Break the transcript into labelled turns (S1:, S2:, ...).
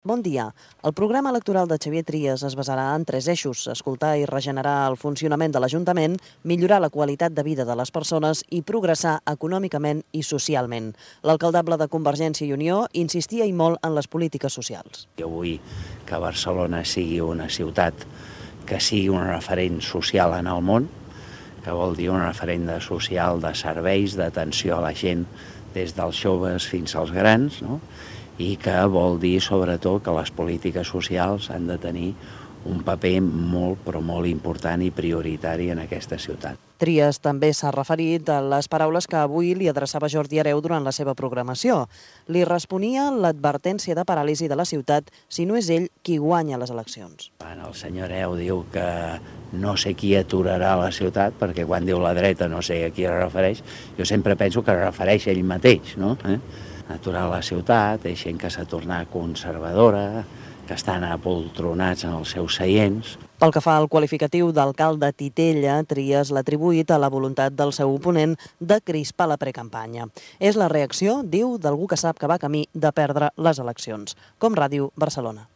S1: Bon dia. El programa electoral de Xavier Trias es basarà en 3 eixos: escoltar i regenerar el funcionament de l'Ajuntament, millorar la qualitat de vida de les persones i progressar econòmicament i socialment. L'alcaldable de Convergència i Unió insistia i molt en les polítiques socials.
S2: Jo vull que Barcelona sigui una ciutat que sigui un referent social en el món, que vol dir un referent social de serveis, d'atenció a la gent, des dels joves fins als grans, no? I que vol dir, sobretot, que les polítiques socials han de tenir un paper molt, però molt important i prioritari en aquesta ciutat.
S1: Trias també s'ha referit a les paraules que avui li adreçava Jordi Hereu durant la seva programació. Li responia l'advertència de paràlisi de la ciutat si no és ell qui guanya les eleccions.
S2: Quan el senyor Hereu diu que no sé qui aturarà la ciutat, perquè quan diu la dreta no sé a qui es refereix, jo sempre penso que es refereix a ell mateix, no? Aturar la ciutat, és gent que s'ha tornat conservadora, que estan apoltronats en els seus seients.
S1: Pel que fa al qualificatiu d'alcalde titella, Trias l'ha atribuït a la voluntat del seu oponent de crispar la precampanya. És la reacció, diu, d'algú que sap que va camí de perdre les eleccions. Com Ràdio Barcelona.